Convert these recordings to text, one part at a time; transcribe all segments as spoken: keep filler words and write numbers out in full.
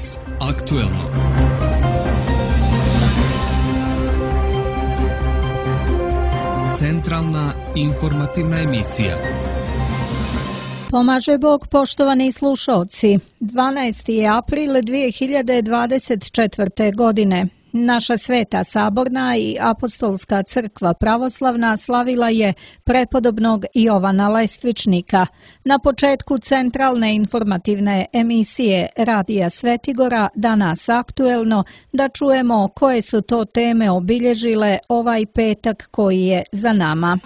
Danas aktuelno. Centralna informativna emisija. Pomaže Bog, poštovani slušaoci. dvanaesti je april dvije hiljade dvadeset četvrte. godine. Naša Sveta Saborna i Apostolska crkva pravoslavna slavila je prepodobnog Jovana Lestvičnika. Na početku centralne informativne emisije Radija Svetigora Danas aktuelno da čujemo koje su to teme obilježile ovaj petak koji je za nama.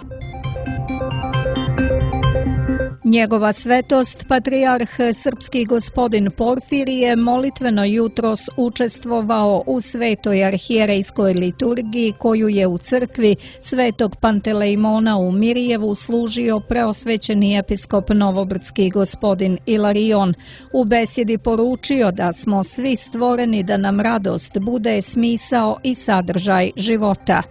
Njegova svetost, patrijarh srpski gospodin Porfirije, molitveno jutros učestvovao u svetoj arhijerejskoj liturgiji koju je u crkvi Svetog Pantelejmona u Mirjevu služio preosvećeni episkop novobrdski gospodin Ilarion. U besjedi poručio da smo svi stvoreni da nam radost bude smisao i sadržaj života.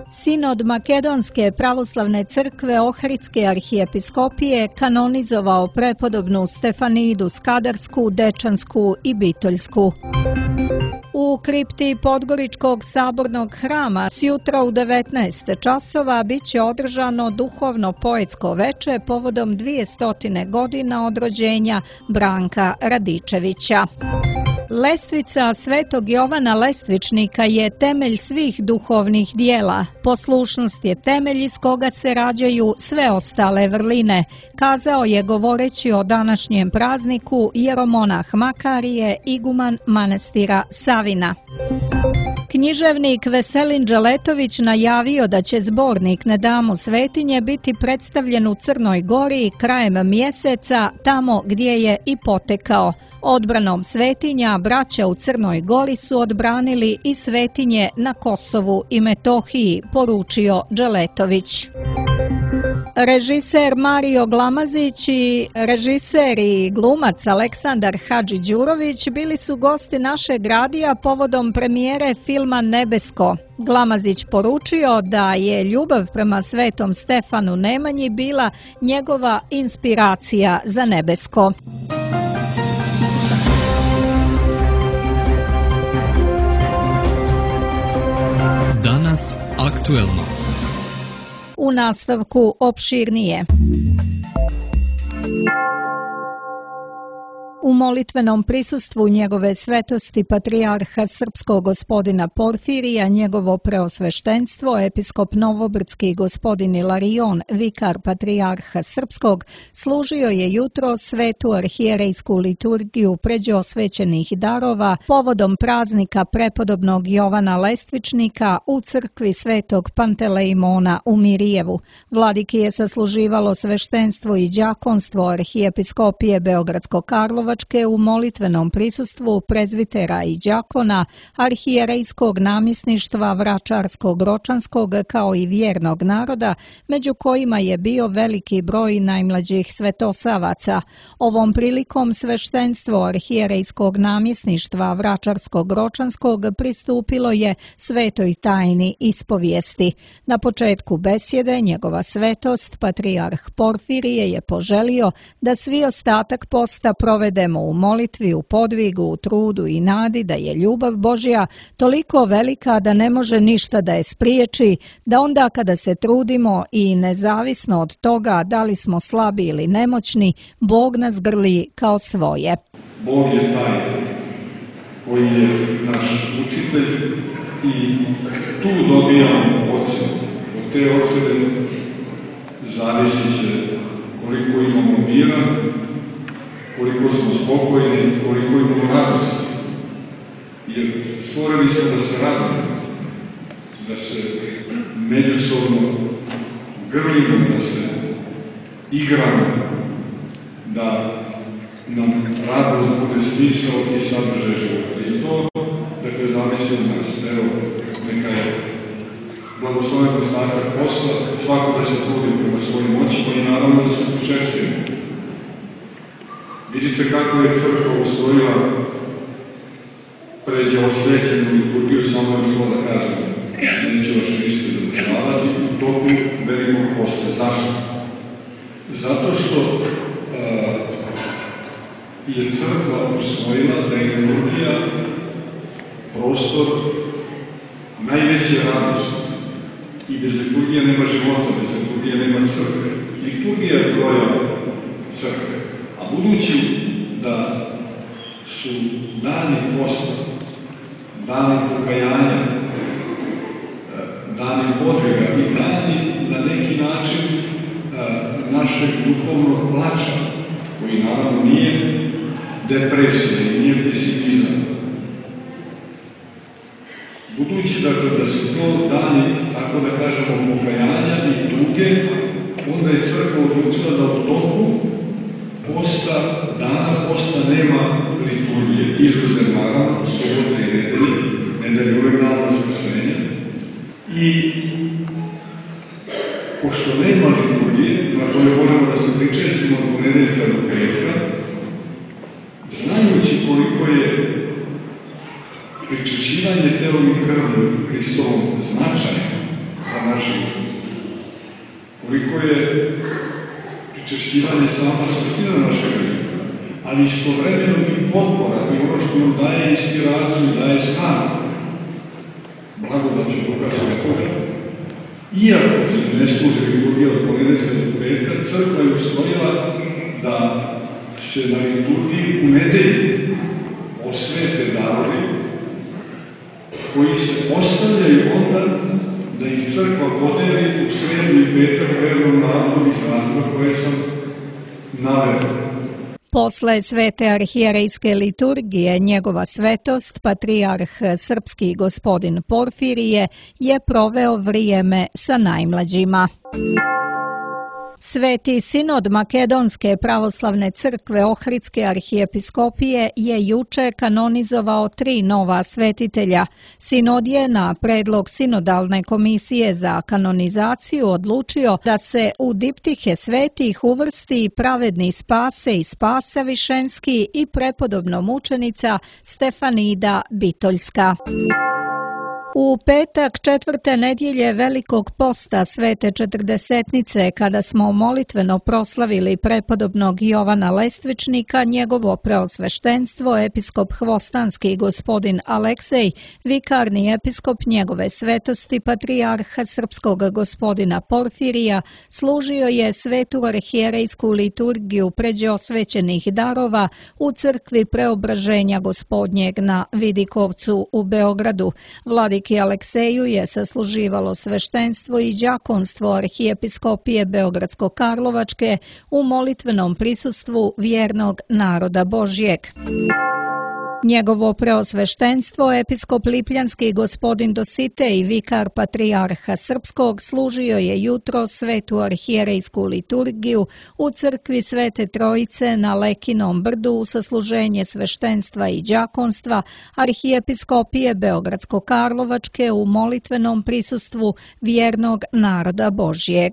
Sinod Makedonske pravoslavne crkve Ohridske arhijepiskopije kanonizovao prepodobnu Stefanidu Skadarsku, Dečansku i Bitoljsku. U kripti Podgoričkog sabornog hrama sjutra u devetnaest časova biće održano duhovno poetsko veče povodom dvjesto godina od rođenja Branka Radičevića. Lestvica Svetog Jovana Lestvičnika je temelj svih duhovnih dijela. Poslušnost je temelj iz koga se rađaju sve ostale vrline, kazao je govoreći o današnjem prazniku jeromonah Makarije, iguman manastira Savina. Književnik Veselin Đeletović najavio da će zbornik Ne damo svetinje biti predstavljen u Crnoj Gori krajem mjeseca, tamo gdje je i potekao. Odbranom svetinja braća u Crnoj Gori su odbranili i svetinje na Kosovu i Metohiji, poručio Đeletović. Režiser Mario Glamazić i režiser i glumac Aleksandar Hadžiđurović bili su gosti našeg radija povodom premijere filma Nebesko. Glamazić poručio da je ljubav prema Svetom Stefanu Nemanji bila njegova inspiracija za Nebesko. Danas aktuelno. U nastavku opširnije. U molitvenom prisustvu njegove svetosti patrijarha srpskog gospodina Porfirija, njegovo preosveštenstvo, episkop novobrdski gospodin Ilarion, vikar patrijarha srpskog, služio je jutro svetu arhijerejsku liturgiju pređe osvećenih darova povodom praznika prepodobnog Jovana Lestvičnika u crkvi Svetog Pantelejmona u Mirjevu. Vladiki je sasluživalo sveštenstvo i đakonstvo arhijepiskopije Beogradsko-Karlovačke u molitvenom prisustvu prezvitera i đakona, arhijerejskog namjesništva Vračarskog Ročanskog kao i vjernog naroda, među kojima je bio veliki broj najmlađih svetosavaca. Ovom prilikom sveštenstvo arhijerejskog namjesništva Vračarskog Ročanskog pristupilo je svetoj tajni ispovijesti. Na početku besjede njegova svetost, patrijarh Porfirije, je poželio da svi ostatak posta provedemo u molitvi, u podvigu, u trudu i nadi da je ljubav Božja toliko velika da ne može ništa da je spriječi, da onda kada se trudimo i nezavisno od toga da li smo slabi ili nemoćni, Bog nas grli kao svoje. Bog je taj koji je naš učitelj i tu dobijamo ocjenu. Od te ocjene zavisi će koliko imamo mira, koliko smo spokojni, koliko imamo radosti. Jer stvoreni smo da se radimo, da se međusobno grlimo, da se igramo, da nam radost bude smisao i sadržaj života. I to, dakle, zavisi od nas. Evo, neka je blagosloven ostatak posla, svako da se trudi prema svojim moćima i naravno da se počešćujemo. Vidite kako je crkva usvojila pređe osvećenu liturgiju, samo još to da kažem. Neće vaše misli zadržavati u toku velikog posta. Zašto? Zato što uh, je crkva usvojila da je liturgija prostor najveće radosti. I bez liturgije nema života, bez liturgije nema crkve. Liturgija je broja crkve. A budući da su dani posta, dani pokajanja, dani podvega i dani na neki način našeg duhovnog plača, koji naravno nije depresija i nije pesimizam. Budući dakle da su to dani, tako da kažemo, pokajanja i tuge, onda je crkva odlučila da u toku posta, dana posta nema liturgije. Izuzev naravno, subote i nedelje, nedelje uvek dan Vaskrsenja. I pošto nema liturgije, na kojoj možemo da se pričestimo od ponedeljka do petka, znajući koliko je pričešćivanje telom i krvlju Hristovom značajno za naš život, koliko je pričešćivanje sama suština našeg života, ali istovremeno i potpora i ono što nam daje inspiraciju i daje snagu, blagodaću Duha Svetoga. Iako se ne služi liturgija od ponedeljka do petka, crkva je usvojila da se na liturgiji u nedelju osvete darovi koji se ostavljaju onda da ih crkva podeli u sredu i petak vernom narodu iz razloga koje sam naveo. Posle svete arhijerejske liturgije, njegova svetost, patrijarh srpski gospodin Porfirije, je proveo vrijeme sa najmlađima. Sveti sinod Makedonske pravoslavne crkve Ohridske arhijepiskopije je juče kanonizovao tri nova svetitelja. Sinod je na predlog sinodalne komisije za kanonizaciju odlučio da se u diptihe svetih uvrsti pravedni Spase i Spasa Višenski i prepodobno mučenica Stefanida Bitoljska. U petak četvrte nedjelje Velikog posta Svete Četrdesetnice, kada smo molitveno proslavili prepodobnog Jovana Lestvičnika, njegovo preosveštenstvo, episkop Hvostanski gospodin Aleksej, vikarni episkop njegove svetosti, patrijarha srpskog gospodina Porfirija, služio je svetu arhijerejsku liturgiju pređe osvećenih darova u crkvi Preobraženja Gospodnjeg na Vidikovcu u Beogradu. Vladiki Alekseju je sasluživalo sveštenstvo i đakonstvo arhijepiskopije Beogradsko-Karlovačke u molitvenom prisustvu vjernog naroda Božjeg. Njegovo preosveštenstvo, episkop Lipljanski gospodin Dositej, vikar patrijarha srpskog, služio je jutro svetu arhijerejsku liturgiju u crkvi Svete Trojice na Lekinom brdu u sasluženje sveštenstva i đakonstva arhijepiskopije Beogradsko-Karlovačke u molitvenom prisustvu vjernog naroda Božjeg.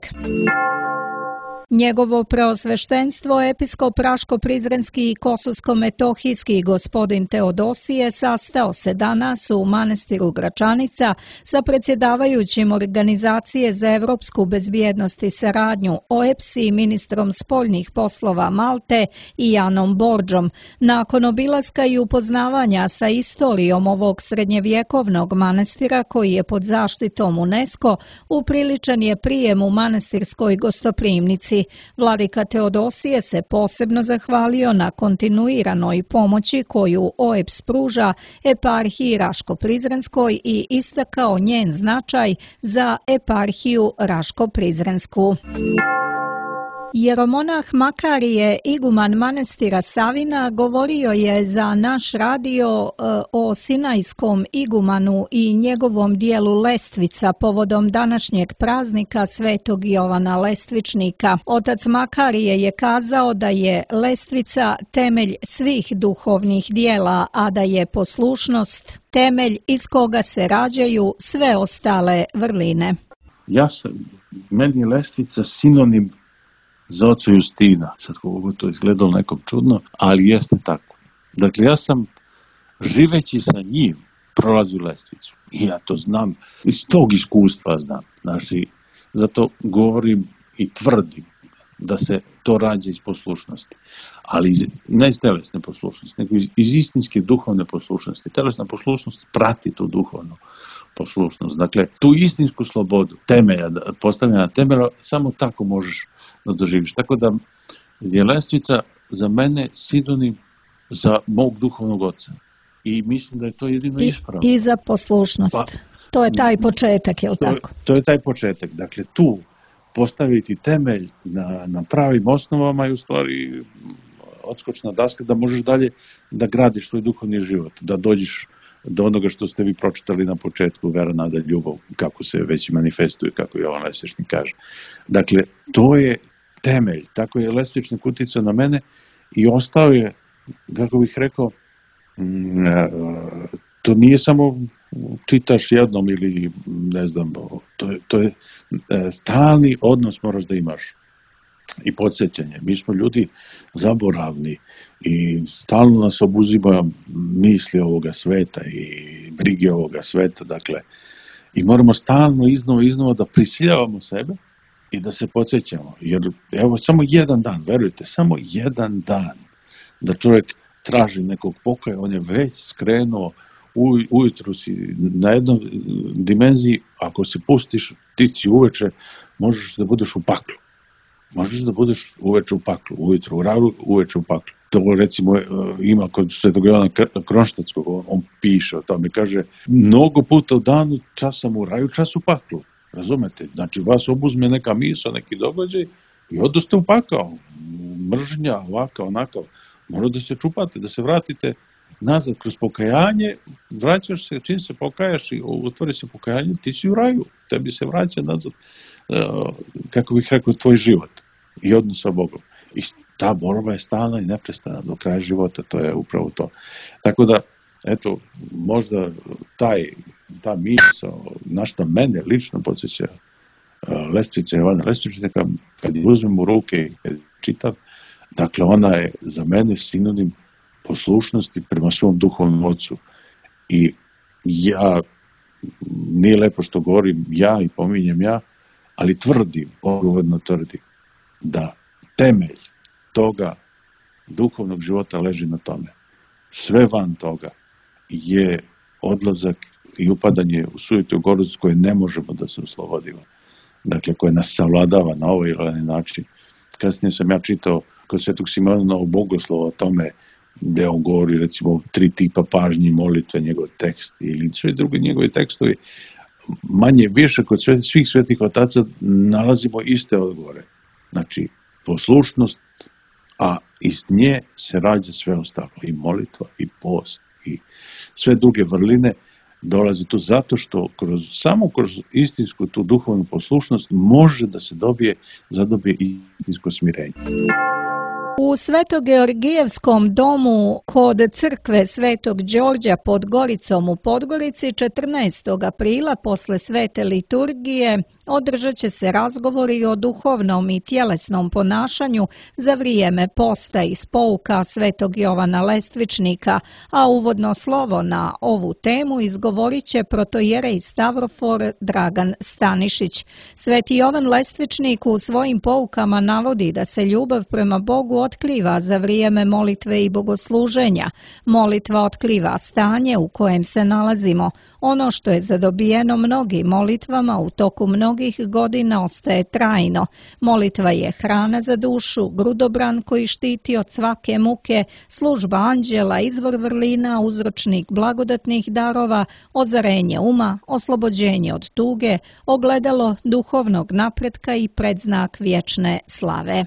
Njegovo preosveštenstvo, episkop Raško-Prizrenski i Kosovsko-Metohijski gospodin Teodosije, sastao se danas u manastiru Gračanica sa predsjedavajućim Organizacije za evropsku bezbjednost i saradnju O E P S i ministrom spoljnih poslova Malte i Janom Borđom. Nakon obilaska i upoznavanja sa istorijom ovog srednjevjekovnog manastira koji je pod zaštitom UNESCO, upriličen je prijem u manastirskoj gostoprimnici. Vladika Teodosije se posebno zahvalio na kontinuiranoj pomoći koju O E P S pruža eparhiji Raško-Prizrenskoj i istakao njen značaj za eparhiju Raško-Prizrensku. Jeromonah Makarije, iguman manastira Savina, govorio je za naš radio o Sinajskom igumanu i njegovom dijelu Lestvica povodom današnjeg praznika Svetog Jovana Lestvičnika. Otac Makarije je kazao da je Lestvica temelj svih duhovnih dijela, a da je poslušnost temelj iz koga se rađaju sve ostale vrline. Ja sam, meni je Lestvica sinonim za oca Justina. Sad kako to izgledalo nekom čudno, ali jeste tako. Dakle, ja sam živeći sa njim prolazio Lestvicu. I ja to znam, iz tog iskustva znam. Znači, zato govorim i tvrdim da se to rađa iz poslušnosti. Ali iz, ne iz telesne poslušnosti, nego iz, iz istinske duhovne poslušnosti. Telesna poslušnost prati tu duhovnu poslušnost. Dakle, tu istinsku slobodu temelja, postavljena temelja, samo tako možeš da doživiš. Tako da je lestvica za mene sinonim za mog duhovnog oca. I mislim da je to jedino I, ispravno. I za poslušnost. Pa, to je taj početak, je li to, tako? To je taj početak. Dakle, tu postaviti temelj na, na pravim osnovama i u stvari odskočna daska da možeš dalje da gradiš svoj duhovni život, da dođeš do onoga što ste vi pročitali na početku, vera, nada, ljubav, kako se već manifestuje, kako Jovan Lesvičnik kaže. Dakle, to je temelj. Tako je Lesvičnik uticao na mene i ostao je, kako bih rekao, to nije samo čitaš jednom ili ne znam, to je, to je stalni odnos moraš da imaš i podsjećanje. Mi smo ljudi zaboravni i stalno nas obuzima misli ovoga sveta i brige ovoga sveta, dakle, i moramo stalno iznova iznova da prisiljavamo sebe i da se podsjećamo, jer evo samo jedan dan, verujte, samo jedan dan da čovjek traži nekog pokoja, on je već skrenuo, u, ujutru si na jednoj dimenziji, ako se pustiš ti si uveče, možeš da budeš u paklu. Možeš da budeš uveče u paklu, ujutru u raju, uveče u paklu. To recimo ima kod Svetog Jovana Kronštatskog, on, on piše o tome, kaže, mnogo puta u danu čas sam u raju, čas u paklu. Razumete? Znači vas obuzme neka misao, neki događaj i odoste u pakao. Mržnja, ovakav, onakav. Mora da se čupate, da se vratite nazad kroz pokajanje, vraćaš se, čim se pokajaš i otvori se pokajanje, ti si u raju, tebi se vraća nazad, kako bih rekao, tvoj život i odnos sa Bogom. I ta borba je stalna i neprestana do kraja života, to je upravo to. Tako da, eto, možda taj, ta misao, na šta mene lično podsjeća Lestvica Jovana Lesvičnika, kad je uzmem u ruke i kad čitam, dakle, ona je za mene sinonim poslušnosti prema svom duhovnom ocu. I ja, nije lepo što govorim ja i pominjem ja, ali tvrdim, odgovorno tvrdim, da temelj toga duhovnog života leži na tome. Sve van toga je odlazak i upadanje u sujetu gorost koje ne možemo da se oslobodimo. Dakle, koje nas savladava na ovaj ili onaj način. Kasnije sam ja čitao kod Svetog Simona o Bogoslova o tome gde on govori recimo tri tipa pažnje i molitve, njegov tekst ili sve druge njegove tekstovi. Manje više kod svih svetih otaca nalazimo iste odgovore. Znači, poslušnost, a iz nje se rađa sve ostalo. I molitva, i post, i sve druge vrline dolazi tu zato što kroz, samo kroz istinsku tu duhovnu poslušnost može da se dobije, zadobije istinsko smirenje. U Svetogeorgijevskom domu kod crkve Svetog Đorđa pod Goricom u Podgorici četrnaestog aprila posle svete liturgije održat će se razgovori o duhovnom i tjelesnom ponašanju za vrijeme posta iz pouka Svetog Jovana Lestvičnika, a uvodno slovo na ovu temu izgovorit će protojerej Stavrofor Dragan Stanišić. Sveti Jovan Lestvičnik u svojim poukama navodi da se ljubav prema Bogu otkriva za vrijeme molitve i bogosluženja. Molitva otkriva stanje u kojem se nalazimo. Ono što je zadobijeno mnogim molitvama u toku mnogih godina ostaje trajno. Molitva je hrana za dušu, grudobran koji štiti od svake muke, služba anđela, izvor vrlina, uzročnik blagodatnih darova, ozarenje uma, oslobođenje od tuge, ogledalo duhovnog napretka i predznak vječne slave.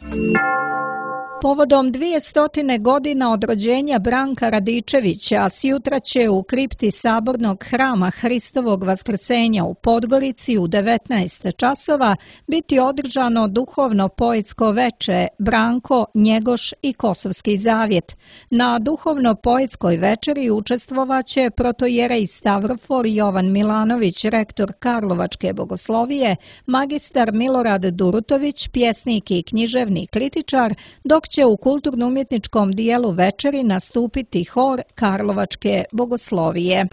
Povodom dvijestotine godina od rođenja Branka Radičevića, sjutra će u kripti Sabornog hrama Hristovog vaskrsenja u Podgorici u devetnaest časova biti održano duhovno poetsko veče Branko, Njegoš i Kosovski zavjet. Na duhovno poetskoj večeri učestvovaće protojerej Stavrofor Jovan Milanović, rektor Karlovačke bogoslovije, magistar Milorad Durutović, pjesnik i književni kritičar, dok će u kulturno-umjetničkom dijelu večeri nastupiti hor Karlovačke bogoslovije.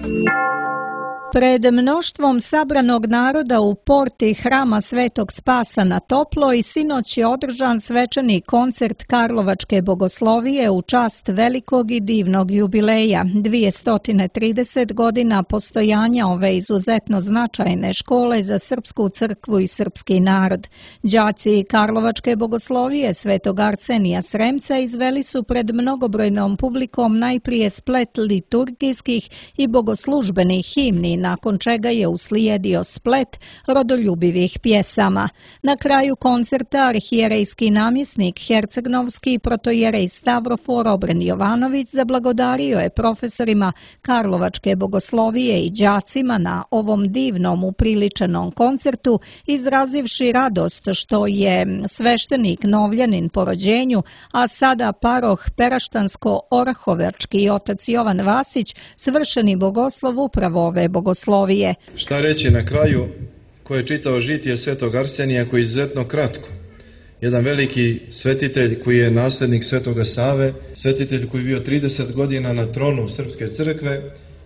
Pred mnoštvom sabranog naroda u porti Hrama Svetog Spasa na Toploj sinoć je održan svečani koncert Karlovačke bogoslovije u čast velikog i divnog jubileja, dvjesto trideset godina postojanja ove izuzetno značajne škole za srpsku crkvu i srpski narod. Đaci Karlovačke bogoslovije Svetog Arsenija Sremca izveli su pred mnogobrojnom publikom najprije splet liturgijskih i bogoslužbenih himni, nakon čega je uslijedio splet rodoljubivih pjesama. Na kraju koncerta arhijerejski namjesnik Hercegnovski protojerej Stavrofor Obren Jovanović zablagodario je profesorima Karlovačke bogoslovije i đacima na ovom divnom upriličenom koncertu, izrazivši radost što je sveštenik Novljanin po rođenju, a sada paroh Peraštansko-Orahovački otac Jovan Vasić, svršeni bogoslov upravo ove bogoslovije. Šta reći na kraju ko je čitao žitije Svetog Arsenija, koji je izuzetno kratko. Jedan veliki svetitelj koji je nasljednik Svetoga Save, svetitelj koji je bio trideset godina na tronu Srpske crkve,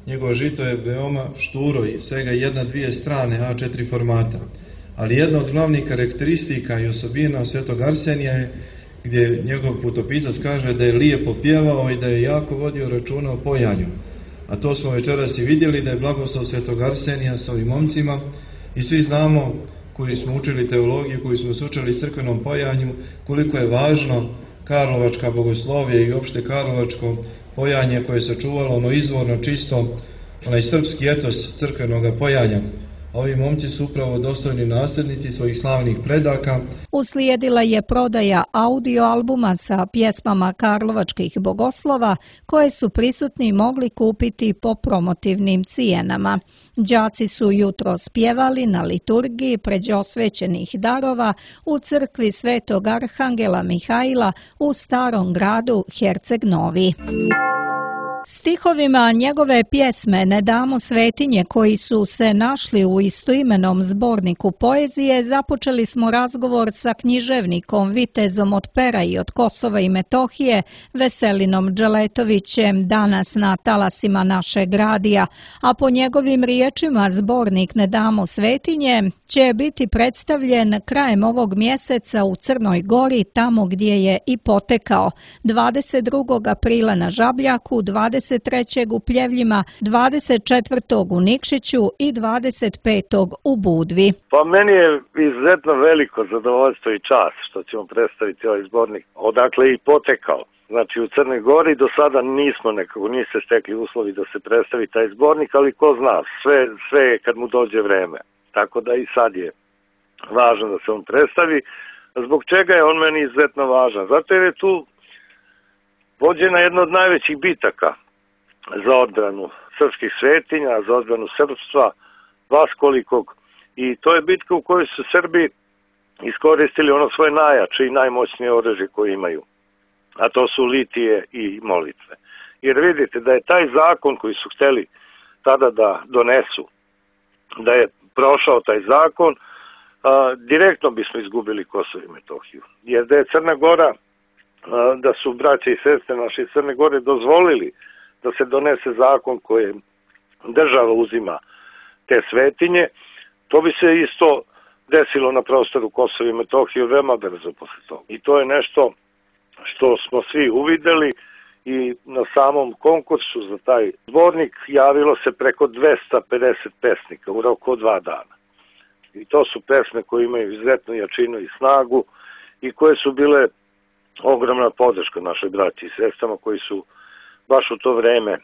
njegovo žito je veoma šturo i svega jedna, dvije strane A četiri formata. Ali jedna od glavnih karakteristika i osobina Svetog Arsenija je gdje njegov putopisac kaže da je lijepo pjevao i da je jako vodio računa o pojanju. A to smo večeras i vidjeli, da je blagoslov Svetog Arsenija sa ovim momcima i svi znamo koji smo učili teologiju, koji smo se učili crkvenom pojanju, koliko je važno Karlovačka bogoslovija i opšte Karlovačko pojanje koje se čuvalo ono izvorno čisto, onaj srpski etos crkvenog pojanja. Ovi momci su upravo dostojni nasljednici svojih slavnih predaka. Uslijedila je prodaja audio albuma sa pjesmama karlovačkih bogoslova koje su prisutni mogli kupiti po promotivnim cijenama. Đaci su jutro spjevali na liturgiji pređe osvećenih darova u crkvi Svetog Arhangela Mihajla u Starom gradu Herceg Novi. Stihovima njegove pjesme Ne damo svetinje, koji su se našli u istoimenom zborniku poezije, započeli smo razgovor sa književnikom, vitezom od Pera i od Kosova i Metohije, Veselinom Dželetovićem, danas na talasima našeg radija, a po njegovim riječima zbornik Ne damo svetinje će biti predstavljen krajem ovog mjeseca u Crnoj Gori, tamo gdje je i potekao, dvadeset drugog aprila na Žabljaku, dvadeset trećeg u Pljevljima, dvadeset četvrtog u Nikšiću i dvadeset petog u Budvi. Pa meni je izuzetno veliko zadovoljstvo i čast što ćemo predstaviti ovaj zbornik, odakle i potekao. Znači u Crnoj Gori do sada nismo nekako, nije se stekli uslovi da se predstavi taj zbornik, ali ko zna, sve, sve je kad mu dođe vreme. Tako da i sad je važno da se on predstavi. Zbog čega je on meni izuzetno važan? Zato jer je tu vođena jedna od najvećih bitaka za odbranu srpskih svetinja, za odbranu srpstva, vaskolikog. I to je bitka u kojoj su Srbi iskoristili ono svoje najjače i najmoćnije oružje koje imaju. A to su litije i molitve. Jer vidite da je taj zakon koji su hteli tada da donesu, da je prošao taj zakon, a, direktno bismo izgubili Kosovo i Metohiju. Jer da je Crna Gora, a, da su braće i sestre naše iz Crne Gore dozvolili da se donese zakon koje država uzima te svetinje, to bi se isto desilo na prostoru Kosova i Metohije veoma brzo posle toga. I to je nešto što smo svi uvideli i na samom konkursu za taj zbornik javilo se preko dvesta pedeset pesnika u roku od dva dana. I to su pesme koje imaju izuzetnu jačinu i snagu i koje su bile ogromna podrška našoj braći i sestrama koji su baš u to vreme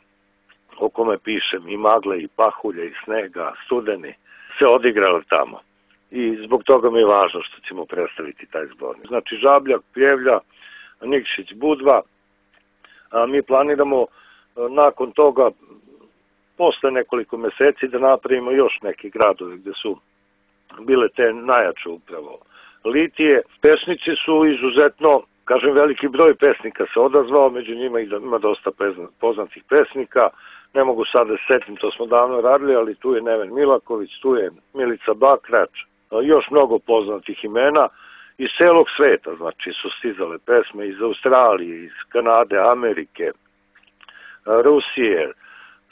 o kome pišem, i magle, i pahulje, i snega, studeni, se odigrali tamo. I zbog toga mi je važno što ćemo predstaviti taj zbornik. Znači Žabljak, Pljevlja, Nikšić, Budva. A mi planiramo nakon toga, posle nekoliko meseci, da napravimo još neki gradovi gdje su bile te najjače upravo litije. Pesnici su izuzetno, kažem, veliki broj pesnika se odazvao, među njima ima dosta poznatih pesnika. Ne mogu sad da setim, to smo davno radili, ali tu je Neven Milaković, tu je Milica Bakrač, još mnogo poznatih imena iz celog sveta, znači su stizale pesme iz Australije, iz Kanade, Amerike, Rusije,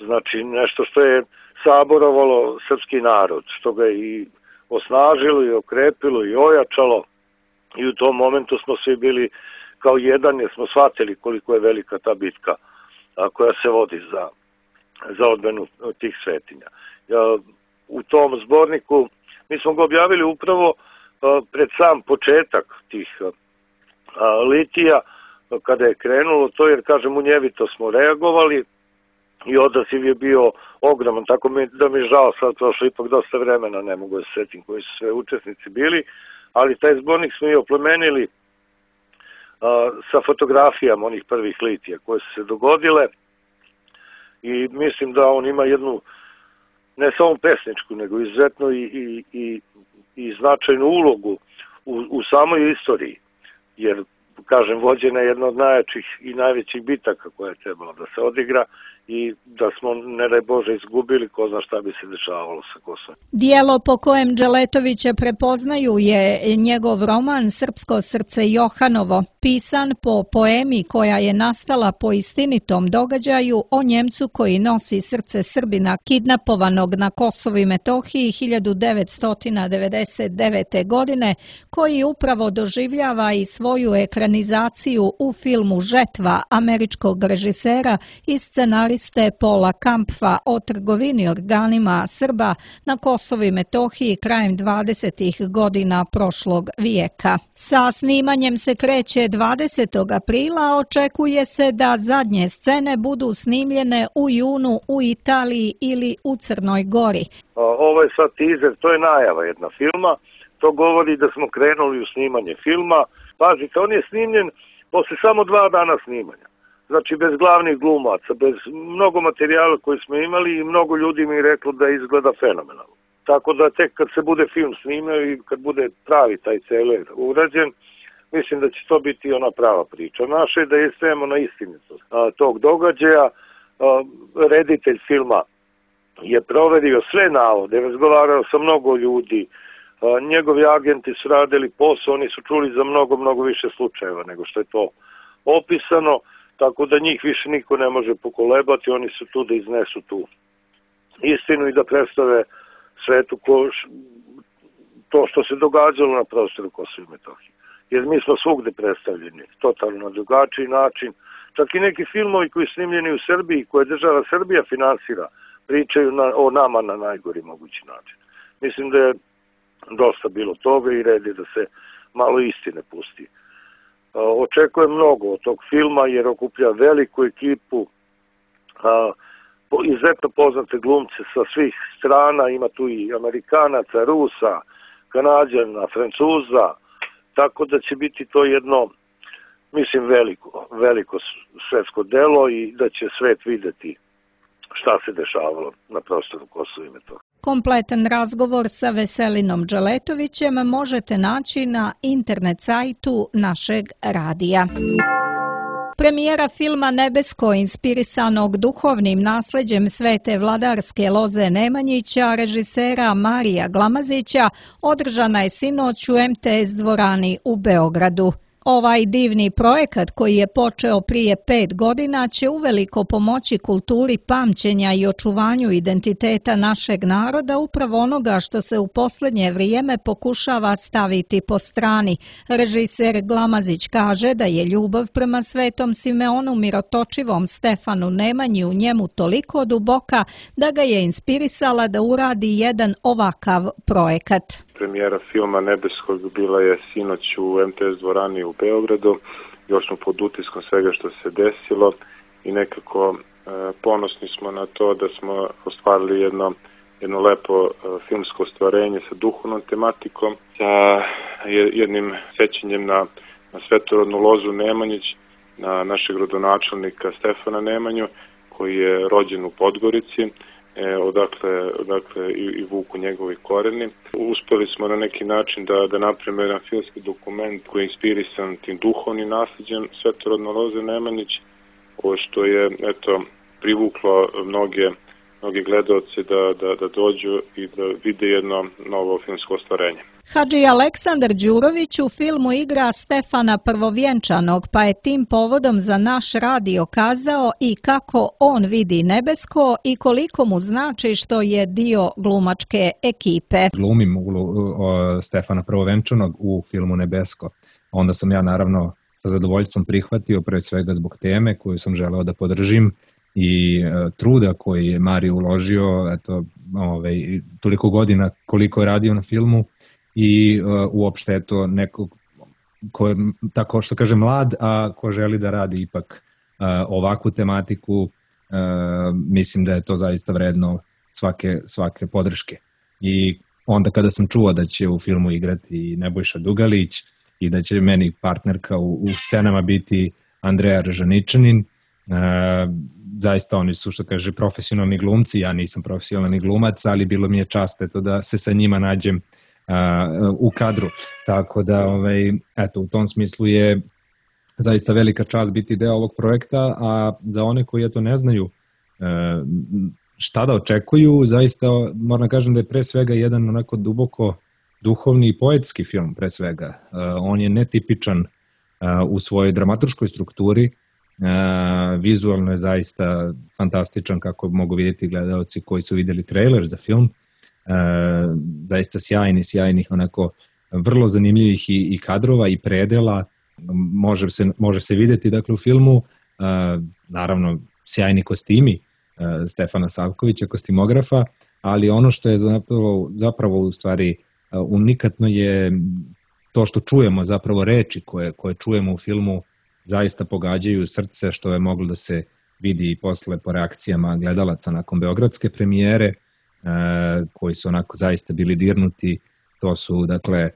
Znači nešto što je saborovalo srpski narod, što ga i osnažilo i okrepilo i ojačalo i u tom momentu smo svi bili kao jedan jer smo shvatili koliko je velika ta bitka koja se vodi za, za odbranu tih svetinja. U tom zborniku mi smo ga objavili upravo pred sam početak tih litija kada je krenulo to jer kažem munjevito smo reagovali i odaziv je bio ogroman, tako mi, da mi je žao sad prošlo ipak dosta vremena, ne mogu da se setim koji su sve učesnici bili, ali taj zbornik smo i oplemenili a, sa fotografijama onih prvih litija koje su se dogodile i mislim da on ima jednu ne samo pesničku, nego izuzetno i, i, i, i značajnu ulogu u, u samoj istoriji, jer kažem, vođena je jedna od najjačih i najvećih bitaka koja je trebala da se odigra i da smo, ne daj Bože, izgubili, ko zna šta bi se dešavalo sa Kosovom. Dijelo po kojem Dželetovića prepoznaju je njegov roman Srpsko srce Johanovo, pisan po poemi koja je nastala po istinitom događaju o Njemcu koji nosi srce Srbina kidnapovanog na Kosovu i Metohiji hiljadu devetsto devedeset devete. godine, koji upravo doživljava i svoju ekranizaciju u filmu Žetva američkog režisera i scenariste Paula Kampfa o trgovini organima Srba na Kosovu i Metohiji krajem dvadesetih godina prošlog vijeka. Sa snimanjem se kreće dvadesetog aprila, očekuje se da zadnje scene budu snimljene u junu u Italiji ili u Crnoj Gori. Ovo je sad teaser, to je najava jedna filma, to govori da smo krenuli u snimanje filma. Pazite, on je snimljen posle samo dva dana snimanja. Znači bez glavnih glumaca, bez mnogo materijala koji smo imali i mnogo ljudi mi je reklo da izgleda fenomenalno. Tako da tek kad se bude film snimio i kad bude pravi taj celer urađen, mislim da će to biti ona prava priča. Naše je da istrajemo na istinitost tog događaja. A, reditelj filma je proverio sve navode, razgovarao sa mnogo ljudi, a, njegovi agenti su radili posao, oni su čuli za mnogo, mnogo više slučajeva nego što je to opisano, tako da njih više niko ne može pokolebati, oni su tu da iznesu tu istinu i da predstave svetu ko, to što se događalo na prostoru Kosova i Metohije. Jer mi smo svugde predstavljeni, totalno na drugačiji način. Čak i neki filmovi koji su snimljeni u Srbiji, koje država Srbija finansira, pričaju na, o nama na najgori mogući način. Mislim da je dosta bilo toga i red je da se malo istine pusti. Očekujem mnogo od tog filma jer okuplja veliku ekipu, izuzetno poznate glumce sa svih strana, ima tu i Amerikanaca, Rusa, Kanađana, Francuza, tako da će biti to jedno, mislim, veliko, veliko svetsko delo i da će svet videti šta se dešavalo na prostoru Kosova i Metohije. Kompletan razgovor sa Veselinom Dželetovićem možete naći na internet sajtu našeg radija. Premijera filma Nebesko, inspirisanog duhovnim nasleđem svete vladarske Loze Nemanjića, režisera Marija Glamazića, održana je sinoć u em te es dvorani u Beogradu. Ovaj divni projekat koji je počeo prije pet godina će uveliko pomoći kulturi pamćenja i očuvanju identiteta našeg naroda, upravo onoga što se u posljednje vrijeme pokušava staviti po strani. Režiser Glamazić kaže da je ljubav prema svetom Simeonu Mirotočivom Stefanu Nemanji u njemu toliko duboka da ga je inspirisala da uradi jedan ovakav projekat. Premijera filma Nebeskog bila je sinoć u em te es dvorani u Beogradu. Još smo pod utiskom svega što se desilo i nekako e, ponosni smo na to da smo ostvarili jedno, jedno lepo e, filmsko ostvarenje sa duhovnom tematikom, sa jednim sećanjem na, na svetorodnu Lozu Nemanjić, na našeg rodonačelnika Stefana Nemanju, koji je rođen u Podgorici, E, odakle, odakle i, i vuku njegovi koreni. Uspeli smo na neki način da, da napravimo jedan filmski dokument koji je inspirisan tim duhovnim nasljeđem svetorodne Loze Nemanjić, ovo što je eto, privuklo mnoge, mnoge gledaoce da, da, da dođu i da vide jedno novo filmsko ostvarenje. Hadži Aleksandar Đurović u filmu igra Stefana Prvovjenčanog, pa je tim povodom za naš radio kazao i kako on vidi Nebesko i koliko mu znači što je dio glumačke ekipe. Glumim Stefana Prvovjenčanog u filmu Nebesko. Onda sam ja naravno sa zadovoljstvom prihvatio, pre svega zbog teme koju sam želeo da podržim i e, truda koji je Mario uložio, eto, ovaj, toliko godina koliko je radio na filmu i e, uopšte eto nekog ko je, tako što kaže, mlad, a ko želi da radi ipak e, ovakvu tematiku, e, mislim da je to zaista vredno svake, svake podrške. I onda kada sam čuo da će u filmu igrati Nebojša Dugalić i da će meni partnerka u, u scenama biti Andreja Režaničanin, e, zaista oni su, što kaže, profesionalni glumci, ja nisam profesionalni glumac, ali bilo mi je čast eto, da se sa njima nađem uh, u kadru. Tako da, ovaj, eto, u tom smislu je zaista velika čast biti deo ovog projekta, a za one koji eto ne znaju uh, šta da očekuju, zaista moram kažem da je pre svega jedan onako duboko duhovni i poetski film, pre svega. Uh, on je netipičan uh, u svojoj dramaturškoj strukturi. Uh, vizualno je zaista fantastičan, kako mogu vidjeti gledalci koji su vidjeli trailer za film. Uh, zaista sjajni, sjajnih onako vrlo zanimljivih i, i kadrova i predela može se, može se vidjeti dakle u filmu. Uh, naravno sjajni kostimi uh, Stefana Savkovića, kostimografa, ali ono što je zapravo, zapravo u stvari uh, unikatno je to što čujemo, zapravo reči koje, koje čujemo u filmu zaista pogađaju srce, što je moglo da se vidi i posle po reakcijama gledalaca nakon beogradske premijere, e, koji su onako zaista bili dirnuti. To su, dakle, e,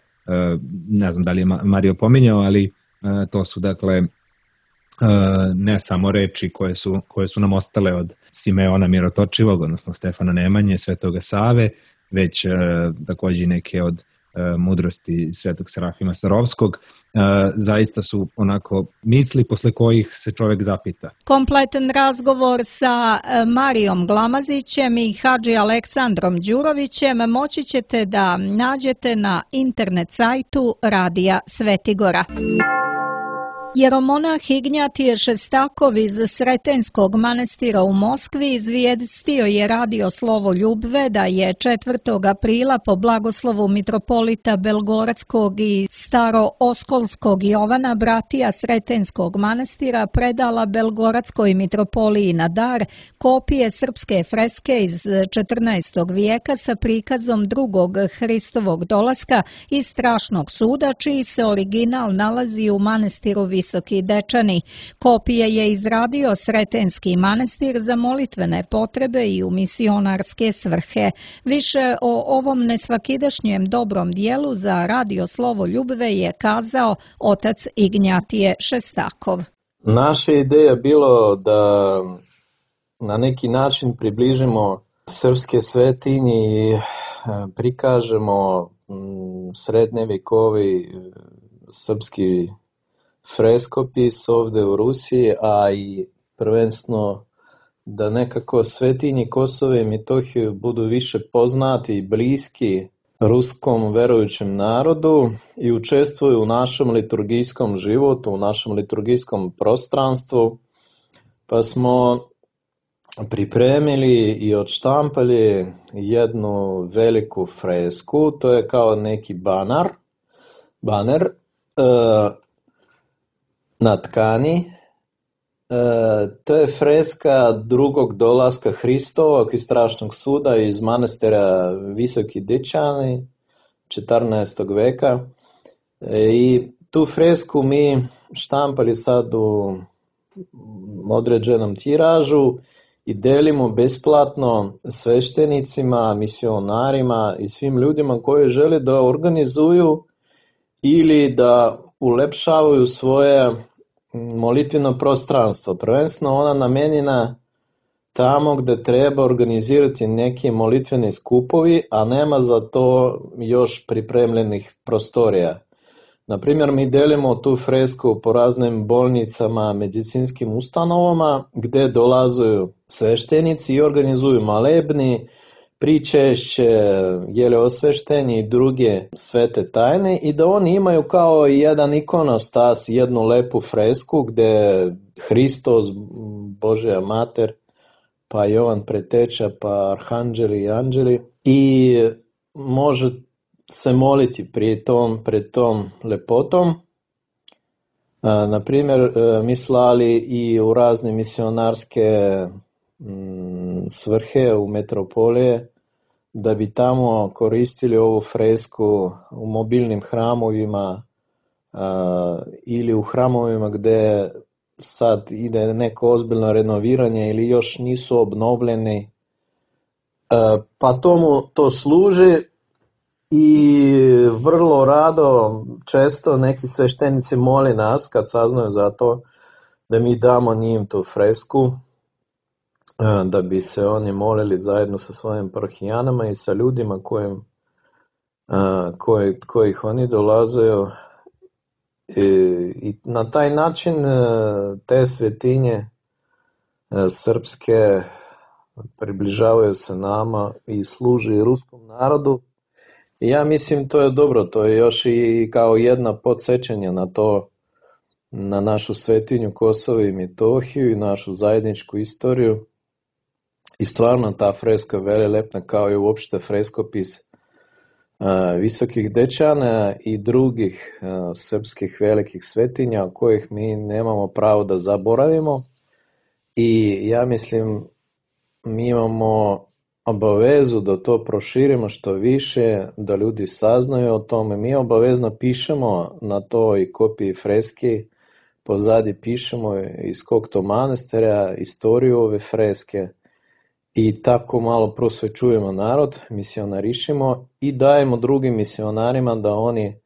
ne znam da li je Mario pominjao, ali e, to su, dakle, e, ne samo reči koje su, koje su nam ostale od Simeona Mirotočivog, odnosno Stefana Nemanje, Svetoga Save, već e, takođe neke od mudrosti Svetog Serafima Sarovskog, zaista su onako misli posle kojih se čovjek zapita. Kompletan razgovor sa Marijom Glamazićem i Hadži Aleksandrom Đurovićem moći ćete da nađete na internet sajtu Radija Svetigora. Jeromonah Ignjatije Šestakov iz Sretenskog manastira u Moskvi izvijestio je Radio Slovo Ljubve da je četvrtog aprila po blagoslovu mitropolita Belgoradskog i Staro-Oskolskog Jovana bratija Sretenskog manastira predala Belgoradskoj mitropoliji na dar kopije srpske freske iz četrnaestog vijeka sa prikazom drugog Hristovog dolaska i strašnog suda, čiji se original nalazi u manastiru Visoki Dečani. Kopije je izradio Sretenski manastir za molitvene potrebe i u misionarske svrhe. Više o ovom nesvakidašnjem dobrom dijelu za Radio Slovo Ljubve je kazao otac Ignjatije Šestakov. Naša ideja je bilo da na neki način približimo srpske svetinje i prikažemo srednjevjekovni srpski freskopis ovde u Rusiji, a i prvenstveno da nekako svetinji Kosova i Metohije budu više poznati i bliski ruskom verujućem narodu i učestvuju u našem liturgijskom životu, u našem liturgijskom prostranstvu, pa smo pripremili i odštampali jednu veliku fresku, to je kao neki banar, baner, uh, na tkani. E, to je freska drugog dolaska Hristovog i strašnog suda iz manastira Visoki Dečani četrnaestog veka. E, I tu fresku mi štampali sad u određenom tiražu i delimo besplatno sveštenicima, misionarima i svim ljudima koji žele da organizuju ili da ulepšavaju svoje molitveno prostranstvo. Prvenstveno ona namenjena tamo gde treba organizirati neki molitveni skupovi, a nema za to još pripremljenih prostorija. Naprimjer, mi delimo tu fresku po raznim bolnicama, medicinskim ustanovama, gde dolazuju sveštenici i organizuju malebni, pričešće, jele osveštenje i druge svete tajne i da oni imaju kao jedan ikonostas, jednu lepu fresku gde Hristos, Božja mater, pa Jovan preteča, pa arhanđeli i anđeli i može se moliti pred tom, pred tom lepotom. Na primjer, mi slali i u razne misionarske svrhe u metropolije da bi tamo koristili ovu fresku u mobilnim hramovima ili u hramovima gde sad ide neko ozbiljno renoviranje ili još nisu obnovljeni. Pa tomu to služi i vrlo rado, često neki sveštenici moli nas kad saznaju za to da mi damo njim tu fresku, da bi se oni molili zajedno sa svojim parohijanama i sa ljudima kojim, koji, kojih oni dolazaju. I, i na taj način te svetinje srpske približavaju se nama i služi ruskom narodu. I ja mislim to je dobro, to je još i kao jedna podsjećanja na to, na našu svetinju Kosovo i Metohiju i našu zajedničku istoriju. I stvarno ta freska je velelepna kao i uopšte freskopis uh, Visokih Dečana i drugih uh, srpskih velikih svetinja kojih mi nemamo pravo da zaboravimo. I ja mislim mi imamo obavezu da to proširimo što više, da ljudi saznaju o tome. Mi obavezno pišemo na toj kopiji freske, pozadi pišemo iz kog to manastira, istoriju ove freske i tako malo prosvećujemo narod, misionarišimo i dajemo drugim misionarima da oni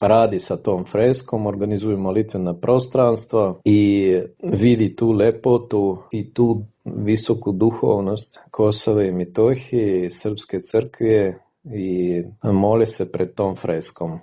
radi sa tom freskom, organizuju molitvena prostranstva i vidi tu lepotu i tu visoku duhovnost Kosova i Metohije, Srpske crkve i moli se pred tom freskom.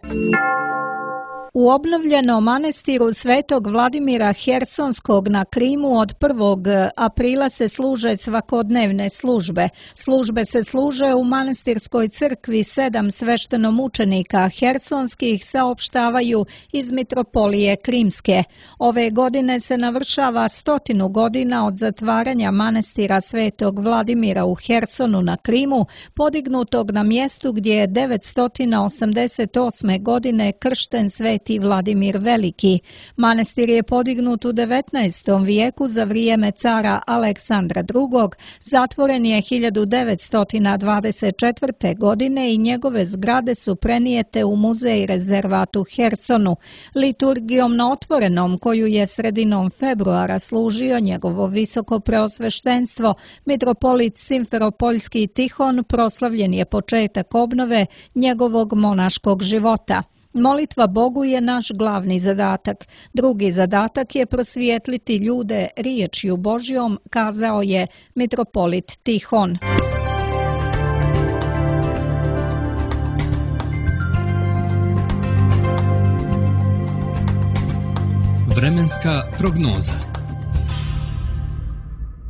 U obnovljenom manestiru Svetog Vladimira Hersonskog na Krimu od prvog aprila se služe svakodnevne službe. Službe se služe u manastirskoj crkvi, sedam sveštenomučenika hersonskih saopštavaju iz mitropolije Krimske. Ove godine se navršava stotinu godina od zatvaranja manastira Svetog Vladimira u Hersonu na Krimu, podignutog na mjestu gdje je devetsto osamdeset osme godine kršten Sveti Vladimir Veliki. Manastir je podignut u devetnaestom vijeku za vrijeme cara Aleksandra drugog, zatvoren je hiljadu devetsto dvadeset četvrte. godine i njegove zgrade su prenijete u muzej rezervat u Hersonu. Liturgijom na otvorenom, koju je sredinom februara služio njegovo visoko preosveštenstvo, mitropolit Simferopoljski Tihon, proslavljen je početak obnove njegovog monaškog života. Molitva Bogu je naš glavni zadatak. Drugi zadatak je prosvijetliti ljude riječju Božjom, kazao je mitropolit Tihon. Vremenska prognoza.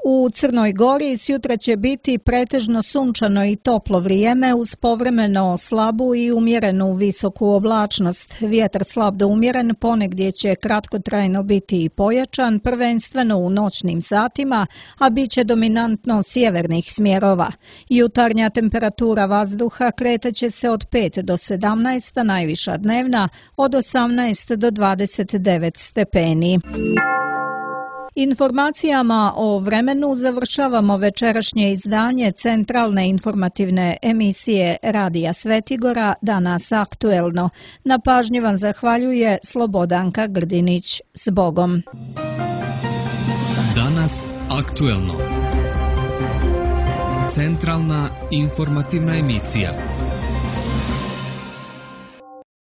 U Crnoj Gori sjutra će biti pretežno sunčano i toplo vrijeme uz povremeno slabu i umjerenu visoku oblačnost. Vjetar slab do umjeren ponegdje će kratkotrajno biti i pojačan, prvenstveno u noćnim satima, a bit će dominantno sjevernih smjerova. Jutarnja temperatura vazduha kretaće se od pet do sedamnaest, a najviša dnevna od osamnaest do dvadeset devet stepeni. Informacijama o vremenu završavamo večerašnje izdanje centralne informativne emisije Radija Svetigora Danas aktuelno. Na pažnji vam zahvaljuje Slobodanka Grdinić. S Bogom. Danas aktuelno. Centralna informativna emisija.